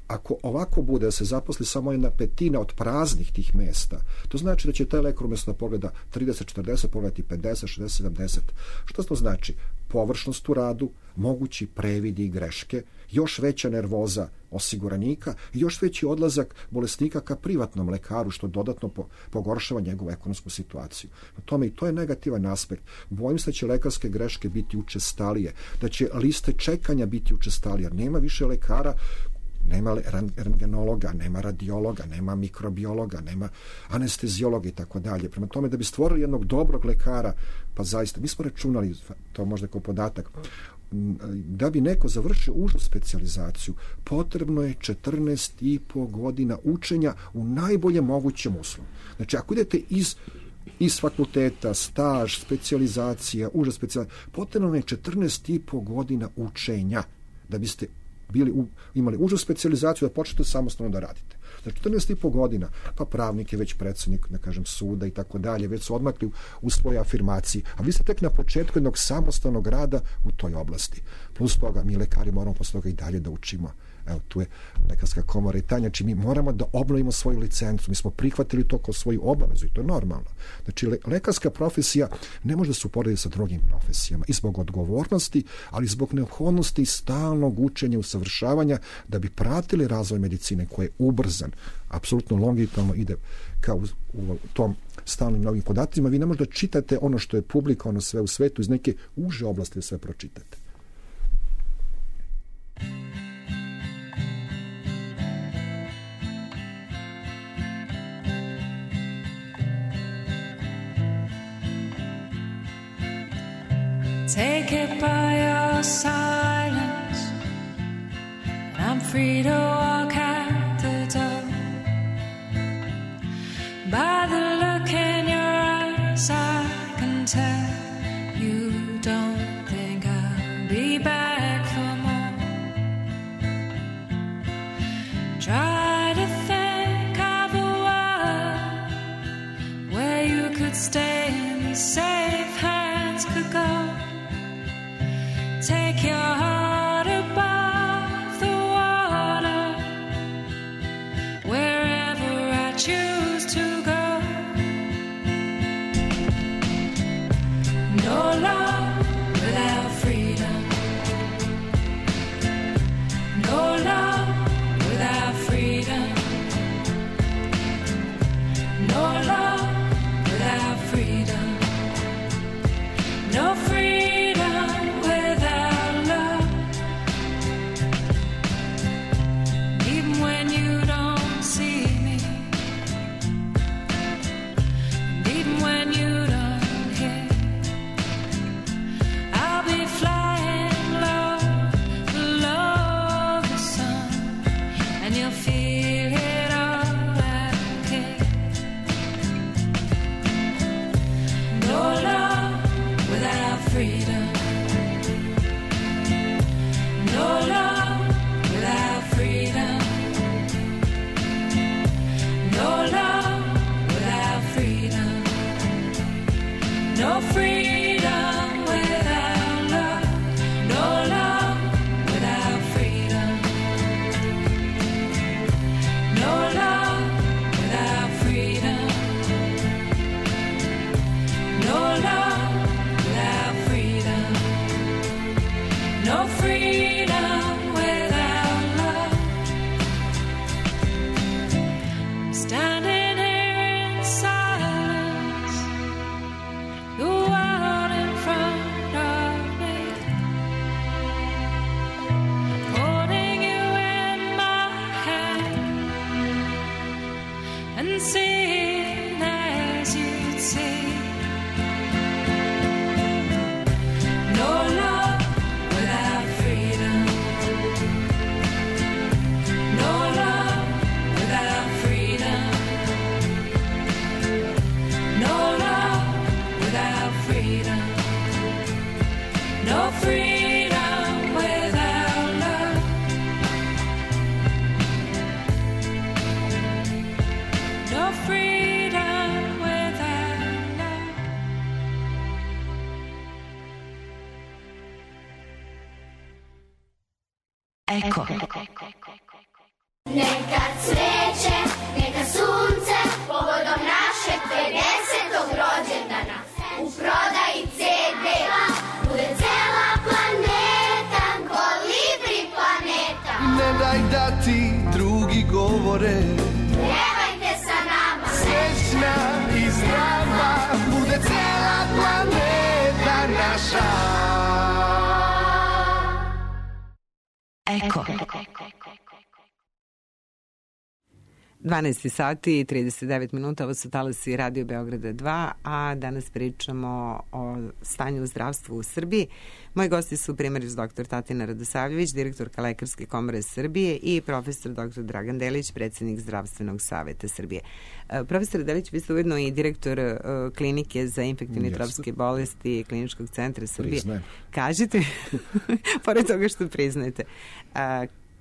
Ako ovako bude da se zaposli samo jedna petina od praznih tih mesta, to znači da će taj lekar umjesto da pogleda trideset četrdeset pogledati pedeset šezdeset sedamdeset. Što to znači? Površnost u radu, mogući previdi i greške, još veća nervoza osiguranika i još veći odlazak bolesnika ka privatnom lekaru, što dodatno pogoršava njegovu ekonomsku situaciju. Na tome i to je negativan aspekt. Bojim se da će lekarske greške biti učestalije, da će liste čekanja biti učestalije, jer nema više lekara, nema rentgenologa, nema radiologa, nema mikrobiologa, nema anesteziologa i tako dalje. Prema tome, da bi stvorili jednog dobrog lekara, pa zaista, mi smo računali, to možda kao podatak, da bi neko završio užu specijalizaciju, potrebno je četrnaest i po godina učenja u najboljem mogućem uslovu. Znači, ako idete iz iz fakulteta, staž, specijalizacija, uža specijalizacija, potrebno je četrnaest i po godina učenja da biste bili u, imali užu specijalizaciju da počnete samostalno da radite. Za četrnaest i po godina, pa pravnik je već predsjednik, da kažem, suda i tako dalje, već su odmakli u, u svojoj afirmaciji, a vi ste tek na početku jednog samostalnog rada u toj oblasti. Plus toga, mi lekari moramo posle toga i dalje da učimo. Evo, tu je Lekarska komora i Tanja, znači mi moramo da obnovimo svoju licencu, mi smo prihvatili to kao svoju obavezu i to je normalno. Znači, le, lekarska profesija ne može da se uporedi sa drugim profesijama i zbog odgovornosti, ali zbog neophodnosti stalnog učenja i usavršavanja da bi pratili razvoj medicine koji je ubrzan, apsolutno longitudinalno ide kao u, u tom stalnim novim podacima. Vi ne možete da čitate ono što je publikovano sve u svetu iz neke uže oblasti da sve pročitate. Take it by your silence, and I'm free to walk out the door. By the look in your eyes, I can tell you don't think I'll be back for more. Try to think of a world where you could stay and safe hands could go. Take your heart above the water, wherever I choose to go. No love without freedom. No love without freedom. No love without freedom. No freedom without love. Even when you don't see me, and even when you don't hear, I'll be flying low, below the sun, and you'll feel it all out here. No love without freedom. No love without freedom. No love without freedom. No freedom without love. No love without freedom. No love without freedom. No love without freedom. No freedom without love. Standing here in silence, the world in front of me, holding you in my hand and seeing as you'd see. No love without freedom. No love without freedom. No love without freedom. No freedom without love. No freedom without love. Eko. Neka cveće, neka sunce, povodom našeg pedesetog rođendana. U prodaji ce de bude cela planeta, kolibri planeta. Ne daj da ti drugi govore, Pjevajte sa nama, srećna i zdrava, bude cela planeta naša. Eko. dvanaest sati i trideset devet minuta, ovo su talasi Radio Beograda dva, a danas pričamo o stanju u zdravstvu u Srbiji. Moji gosti su primaris doktor Tatina Radosavljević, direktorka Lekarske komore Srbije i profesor doktor Dragan Delić, predsjednik Zdravstvenog saveta Srbije. Profesor Delić, vi ste ujedno i direktor klinike za infektivne i tropske bolesti Kliničkog centra Srbije. Priznajem. Kažite, pored toga što priznajete,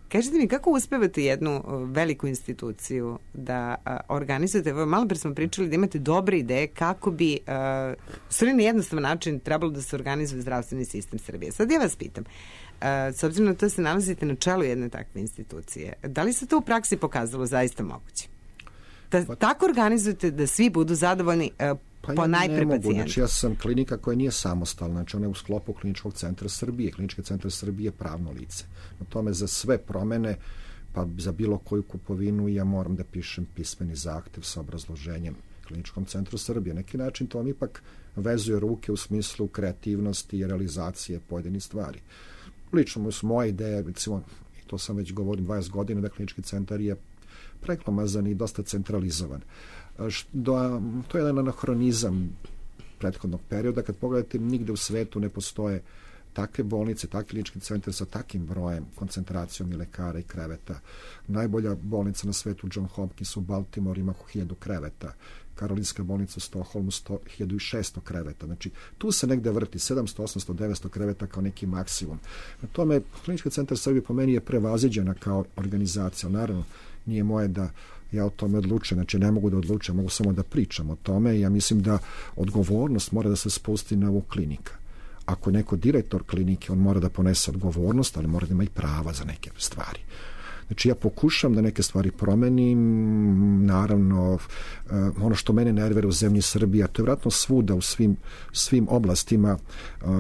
kažite mi kako uspevate jednu veliku instituciju da a, organizujete, malo pre smo pričali da imate dobre ideje kako bi a, sve na jednostavan način trebalo da se organizuje zdravstveni sistem Srbije. Sad ja vas pitam, a, s obzirom na to se nalazite na čelu jedne takve institucije, da li se to u praksi pokazalo zaista moguće? Da pa, tako organizujete da svi budu zadovoljni a, Pa po ja najpre ne mogu, pacijenta. znači ja sam klinika koja nije samostalna, znači ona je u sklopu Kliničkog centra Srbije. Klinički centar Srbije je pravno lice. Na tome za sve promene, pa za bilo koju kupovinu ja moram da pišem pismeni zahtev sa obrazloženjem Kliničkom centru Srbije. Na neki način to vam ipak vezuje ruke u smislu kreativnosti i realizacije pojedinih stvari. Lično su moje ideje, recimo, i to sam već govorim dvadeset godina, da Klinički centar je preglomazan i dosta centralizovan. Do, to je jedan anahronizam prethodnog perioda. Kad pogledate, nigde u svetu ne postoje takve bolnice, takvi klinički centar sa takim brojem, koncentracijom i lekara i kreveta. Najbolja bolnica na svetu, John Hopkins u Baltimore, ima oko hiljadu kreveta. Karolinska bolnica u Stockholmu hiljadu šesto kreveta. Znači, tu se negde vrti sedamsto, osamsto, devetsto kreveta kao neki maksimum. Na tome, Klinički centar Srbije po meni je prevaziđena kao organizacija. Naravno, nije moje da ja o tome odlučujem, znači ne mogu da odlučujem, mogu samo da pričam o tome i ja mislim da odgovornost mora da se spusti na ovu klinika. Ako je neko direktor klinike, on mora da ponese odgovornost, ali mora da ima i prava za neke stvari. Znači ja pokušam da neke stvari promenim, naravno ono što mene nervira u zemlji Srbije, to je vjerojatno svuda u svim, svim oblastima,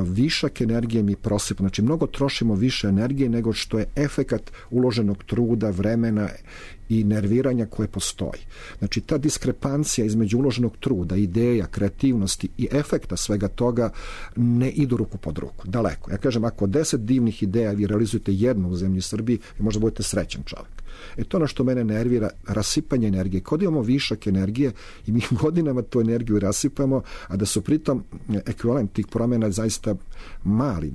višak energije mi prosipa, znači mnogo trošimo više energije nego što je efekat uloženog truda, vremena i nerviranja koje postoji. Znači ta diskrepancija između uloženog truda, ideja, kreativnosti i efekta svega toga ne idu ruku pod ruku, daleko. Ja kažem, ako deset divnih ideja vi realizujete jednu u zemlji Srbiji, vi možda budete srećan čovjek. E to ono što mene nervira, rasipanje energije. Kod imamo višak energije i mi godinama tu energiju rasipamo, a da su pritom ekvivalent tih promjena zaista mali,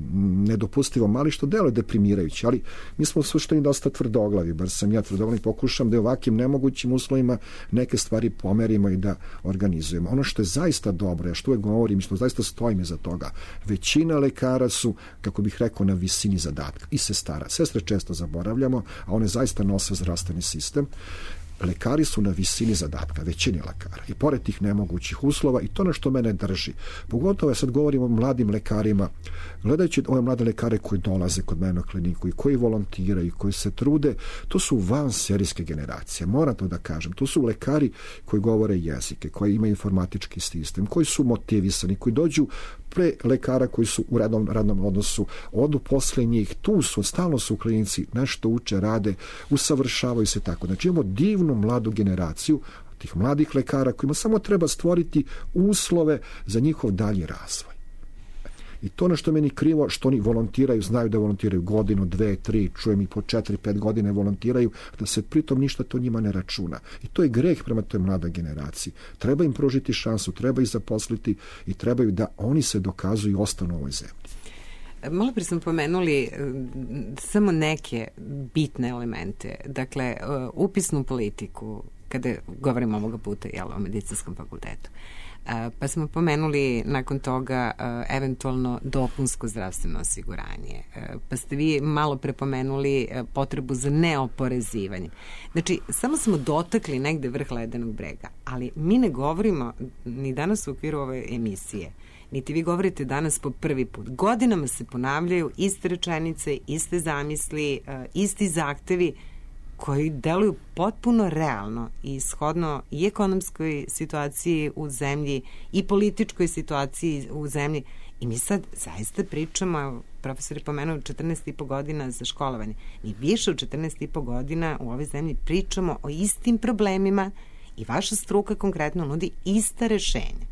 nedopustivo mali, što deluje deprimirajući, ali mi smo u suštini dosta tvrdoglavi, bar sam ja tvrdoglavi, pokušam da u ovakvim nemogućim uslovima neke stvari pomerimo i da organizujemo. Ono što je zaista dobro, ja što uvek govorim i što zaista stojim iza toga, većina lekara su, kako bih rekao, na visini zadatka i sestara. Sestre često zaboravljamo, a one zaista nose zdravstveni sistem. Lekari su na visini zadatka, većini lekara. I pored tih nemogućih uslova, i to na što mene drži. Pogotovo ja sad govorim o mladim lekarima. Gledajući ove mlade lekare koji dolaze kod mene na kliniku i koji volontiraju, koji se trude, to su van serijske generacije. Moram to da kažem. To su lekari koji govore jezike, koji imaju informatički sistem, koji su motivisani, koji dođu pre lekara koji su u radnom, radnom odnosu, odu posle njih, tu su, stalno su u klinici, nešto uče, rade, usavršavaju se tako. Znači imamo divnu mladu generaciju tih mladih lekara kojima samo treba stvoriti uslove za njihov dalji razvoj. I to ono što meni krivo, što oni volontiraju, znaju da volontiraju godinu, dve, tri, čujem i po četiri, pet godine volontiraju, da se pritom ništa to njima ne računa. I to je greh prema toj mlada generaciji. Treba im pružiti šansu, treba ih zaposliti i trebaju da oni se dokazuju i ostanu u ovoj zemlji. Malo prije smo pomenuli samo neke bitne elemente. Dakle, upisnu politiku, kada govorimo ovoga puta jel, o medicinskom fakultetu. Pa smo pomenuli nakon toga eventualno dopunsko zdravstveno osiguranje. Pa ste vi malo prepomenuli potrebu za neoporezivanje. Znači, samo smo dotakli negde vrh ledenog brega, ali mi ne govorimo ni danas u okviru ove emisije, niti vi govorite danas po prvi put. Godinama se ponavljaju iste rečenice, iste zamisli, isti zahtevi koji deluju potpuno realno i shodno i ekonomskoj situaciji u zemlji i političkoj situaciji u zemlji. I mi sad zaista pričamo, profesor je pomenuo četrnaest i po godina za školovanje. Mi više od četrnaest i po godina u ovoj zemlji pričamo o istim problemima i vaša struka konkretno nudi ista rešenja.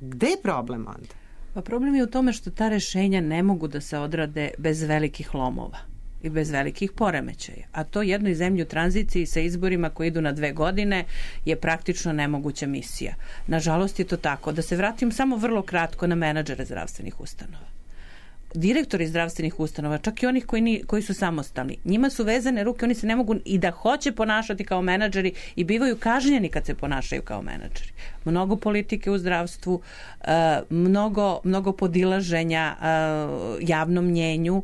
Gde je problem onda? Pa problem je u tome što ta rešenja ne mogu da se odrade bez velikih lomova i bez velikih poremećaja. A to jednoj zemlji u tranziciji sa izborima koji idu na dve godine je praktično nemoguća misija. Nažalost je to tako. Da se vratim samo vrlo kratko na menadžere zdravstvenih ustanova. Direktori zdravstvenih ustanova, čak i onih koji, ni, koji su samostalni, njima su vezane ruke, oni se ne mogu i da hoće ponašati kao menadžeri i bivaju kažnjeni kad se ponašaju kao menadžeri. Mnogo politike u zdravstvu, mnogo, mnogo podilaženja javnom mnjenju,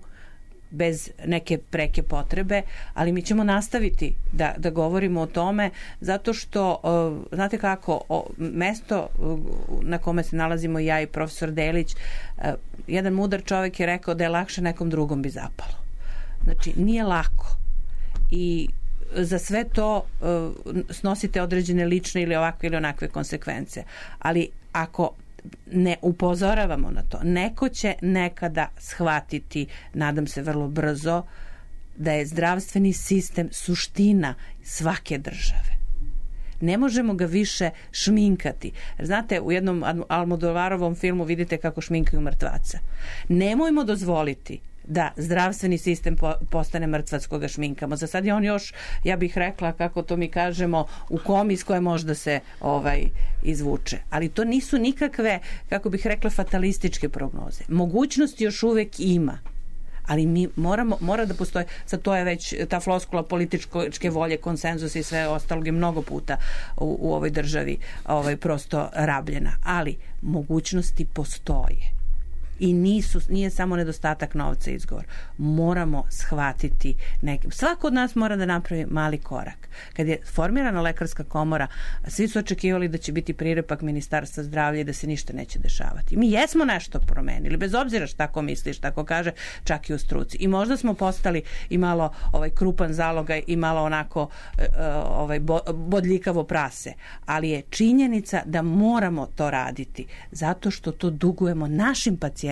bez neke preke potrebe, ali mi ćemo nastaviti da, da govorimo o tome zato što, uh, znate kako, o, mesto uh, na kome se nalazimo ja i profesor Delić, uh, jedan mudar čovjek je rekao da je lakše nekom drugom bi zapalo. Znači, nije lako i za sve to uh, snosite određene lične ili ovakve ili onakve konsekvence. Ali ako ne upozoravamo na to, neko će nekada shvatiti, nadam se vrlo brzo, da je zdravstveni sistem suština svake države. Ne možemo ga više šminkati. Znate, u jednom Almodovarovom filmu vidite kako šminkaju mrtvaca. Nemojmo dozvoliti da zdravstveni sistem po, postane mrtvac koga šminkamo. Za sad je on još, ja bih rekla, kako to mi kažemo, u komi iz koje možda se ovaj izvuče. Ali to nisu nikakve, kako bih rekla, fatalističke prognoze. Mogućnosti još uvek ima. Ali mi moramo, mora da postoje, sad to je već ta floskula političke volje, konsenzus i sve ostalog je mnogo puta u, u ovoj državi ovaj, prosto rabljena. Ali mogućnosti postoje. I nisu, nije samo nedostatak novca izgovor. Moramo shvatiti nekim. Svako od nas mora da napravi mali korak. Kad je formirana lekarska komora, svi su očekivali da će biti prirepak Ministarstva zdravlja i da se ništa neće dešavati. Mi jesmo nešto promenili, bez obzira šta ko misli, šta ko kaže, čak i u struci. I možda smo postali i malo ovaj krupan zalogaj i malo onako ovaj bodljikavo prase. Ali je činjenica da moramo to raditi zato što to dugujemo našim pacijentima,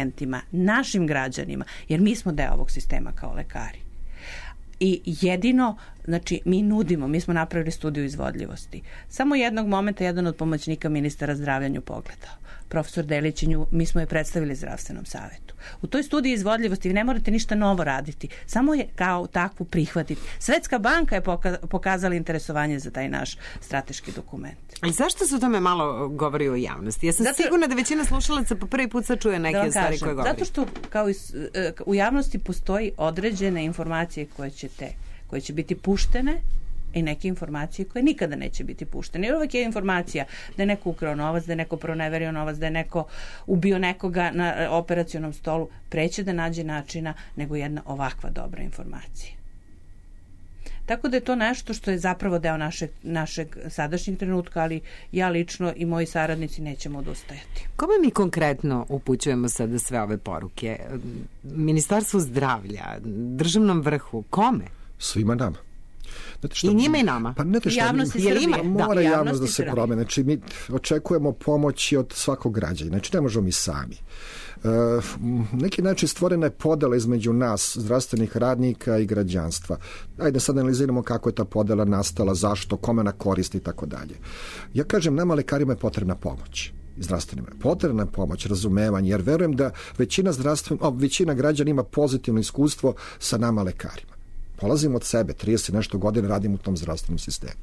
našim građanima, jer mi smo deo ovog sistema kao lekari. I jedino, znači, mi nudimo, mi smo napravili studiju izvodljivosti. Samo jednog momenta jedan od pomoćnika ministara zdravlja nju pogledao. Profesor Delić nju, mi smo je predstavili zdravstvenom savetu. U toj studiji izvodljivosti vi ne morate ništa novo raditi, samo je kao takvu prihvatiti. Svetska banka je pokazala interesovanje za taj naš strateški dokument. Ali zašto se o tome malo govori u javnosti? Ja sam Zato, sigurna da većina slušalaca po prvi put sad čuje neke da stvari kažem, koje govori. Zato što kao i, u javnosti postoji određene informacije koje će, te, koje će biti puštene i neke informacije koje nikada neće biti puštene. Jer uvek je informacija da je neko ukrao novac, da je neko proneverio novac, da je neko ubio nekoga na operacionom stolu, preće da nađe načina nego jedna ovakva dobra informacija. Tako da je to nešto što je zapravo deo našeg, našeg sadašnjeg trenutka, ali ja lično i moji saradnici nećemo odustajati. Kome mi konkretno upućujemo sada sve ove poruke? Ministarstvu zdravlja, državnom vrhu, kome? Svima nama. Šta, I njima i nama. Pa ne te šta, javnosti je ima, mora da, javnost da se promene. Znači, mi očekujemo pomoći od svakog građana. Znači, ne možemo mi sami. E, neki način stvorena je podela između nas, zdravstvenih radnika i građanstva. Ajde sad analiziramo kako je ta podela nastala, zašto, kome na koristi i tako dalje. Ja kažem, nama lekarima je potrebna pomoć. Zdravstvenima je potrebna pomoć, razumevanje, jer verujem da većina, zdravstven, o, većina građana ima pozitivno iskustvo sa nama lekarima. Polazimo od sebe, trideset nešto godina radim u tom zdravstvenom sistemu.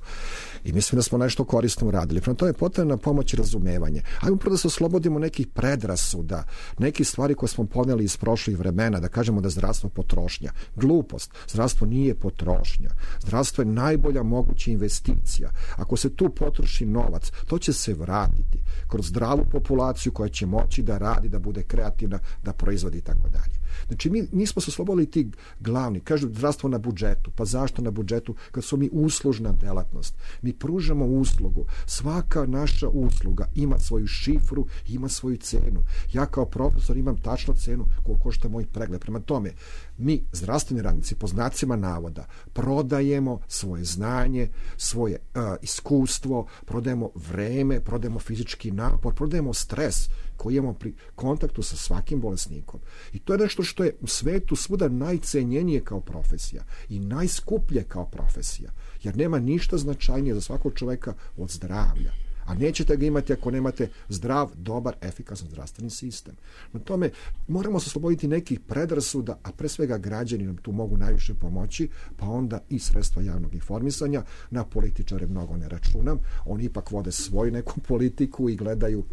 I mislim da smo nešto korisno uradili. Prema tome je potrebna pomoć i razumevanje. Ajmo prvo da se oslobodimo nekih predrasuda, nekih stvari koje smo poneli iz prošlih vremena, da kažemo da je zdravstvo potrošnja. Glupost. Zdravstvo nije potrošnja. Zdravstvo je najbolja moguća investicija. Ako se tu potroši novac, to će se vratiti kroz zdravu populaciju koja će moći da radi, da bude kreativna, da proizvodi i tako dalje. Znači, mi nismo se oslobodili ti glavni. Kažu zdravstvo na budžetu. Pa zašto na budžetu? Kad su mi uslužna delatnost. Mi pružamo uslugu. Svaka naša usluga ima svoju šifru, ima svoju cenu. Ja kao profesor imam tačno cenu koliko košta moj pregled. Prema tome, mi, zdravstveni radnici, po znacima navoda, prodajemo svoje znanje, svoje uh, iskustvo, prodajemo vreme, prodajemo fizički napor, prodajemo stres koji imamo pri kontaktu sa svakim bolesnikom. I to je nešto što je u svetu svuda najcenjenije kao profesija i najskuplje kao profesija. Jer nema ništa značajnije za svakog čoveka od zdravlja. A nećete ga imati ako nemate zdrav, dobar, efikasan zdravstveni sistem. Na tome moramo se osloboditi nekih predrasuda, a pre svega građani nam tu mogu najviše pomoći, pa onda i sredstva javnog informisanja. Na političare mnogo ne računam. Oni ipak vode svoju neku politiku i gledaju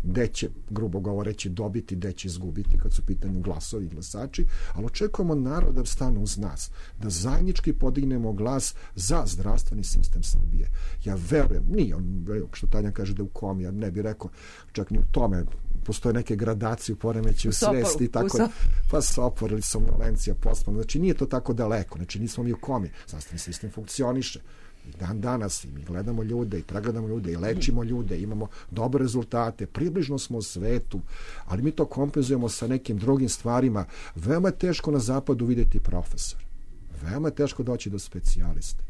gde će, grubo govoreći, dobiti, gde će izgubiti kad su u pitanju glasovi i glasači, ali očekujemo narod da stane uz nas, da zajednički podignemo glas za zdravstveni sistem Srbije. Ja verujem, nije on, što Tanja kaže da u komi, ja ne bih rekao, čak ni u tome, postoje neke gradacije u poremećaju svesti i tako, so... pa sopor ili somnolencija, postman, znači nije to tako daleko, znači nismo mi u komi, zdravstveni sistem funkcioniše. Dan danas i mi gledamo ljude i pregledamo ljude i lečimo ljude, imamo dobre rezultate, približno smo u svetu, ali mi to kompenzujemo sa nekim drugim stvarima. Veoma je teško na zapadu vidjeti profesor. Veoma je teško doći do specijaliste.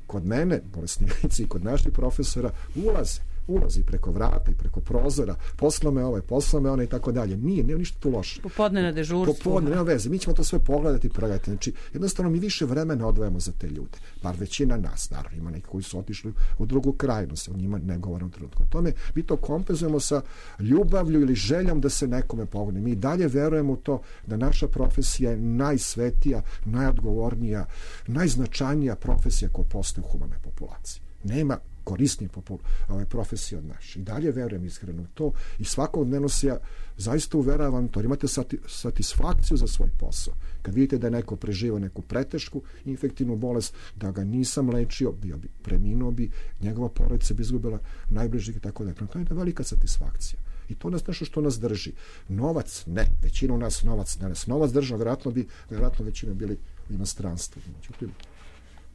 Kod mene, bolesnici, kod naših profesora ulaze, ulazi preko vrata i preko prozora, poslao me ovaj, poslao me onaj i tako dalje. Nije, nema ništa tu loše. Popodne na dežurstvu. Popodne, nema veze. Mi ćemo to sve pogledati i pregledati. Znači, jednostavno mi više vremena odvajamo za te ljude. Bar većina nas, naravno, ima neki koji su otišli u drugu krajinu, se o njima ne govorim trenutku. O tome mi to kompenzujemo sa ljubavlju ili željom da se nekome pomogne. Mi dalje verujemo u to da naša profesija je najsvetija, najodgovornija, najznačajnija profesija koja postoji u humanoj populaciji. Nema korisnije popul, ove profesije od naše. I dalje verujem iskreno u to i svakodnevno se ja zaista uveravam to. Imate sati, satisfakciju za svoj posao. Kad vidite da je neko preživao neku pretešku infektivnu bolest, da ga nisam lečio, bio bi, preminuo bi, njegova porodica bi izgubila najbližih i tako da. To je velika satisfakcija. I to nas nešto što nas drži. Novac, ne. Većina u nas novac ne nas. Novac država, vjerojatno bi, vjerojatno većina bili u inostranstvu. Međutim,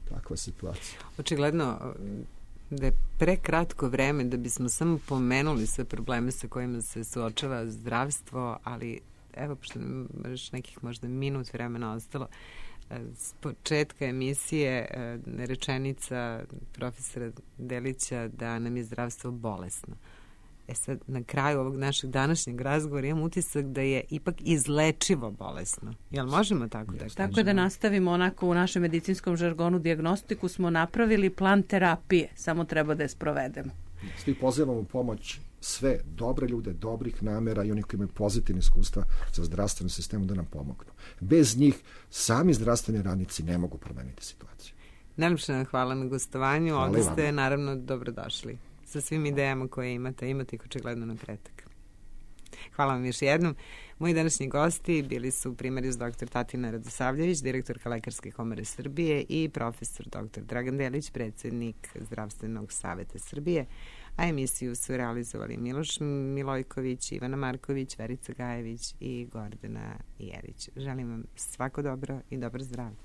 takva situacija. Očigledno da je prekratko vreme da bismo samo pomenuli sve probleme sa kojima se suočava zdravstvo, ali evo, pošto nam još nekih možda minut vremena ostalo, s početka emisije rečenica profesora Delića da nam je zdravstvo bolesno. E sad, na kraju ovog našeg današnjeg razgovora imam utisak da je ipak izlečivo bolesno. Jel možemo tako da kažemo? Tako je, da nastavimo onako u našem medicinskom žargonu dijagnostiku smo napravili plan terapije, samo treba da je sprovedemo. Svi pozivamo u pomoć sve dobre ljude, dobrih namera i oni koji imaju pozitivne iskustva sa zdravstvenim sistemom da nam pomognu. Bez njih sami zdravstveni radnici ne mogu promeniti situaciju. Najlepše vam hvala na gostovanju. Hvala. Ovdje ste naravno dobrodošli sa svim idejama koje imate. Imate ih očigledno napredak. Hvala vam još jednom. Moji današnji gosti bili su primarius doktor Tatina Radosavljević, direktorka Lekarske komore Srbije i profesor doktor Dragan Delić, predsjednik Zdravstvenog saveta Srbije, a emisiju su realizovali Miloš Milojković, Ivana Marković, Verica Gajević i Gordana Jerić. Želim vam svako dobro i dobar zdravlje.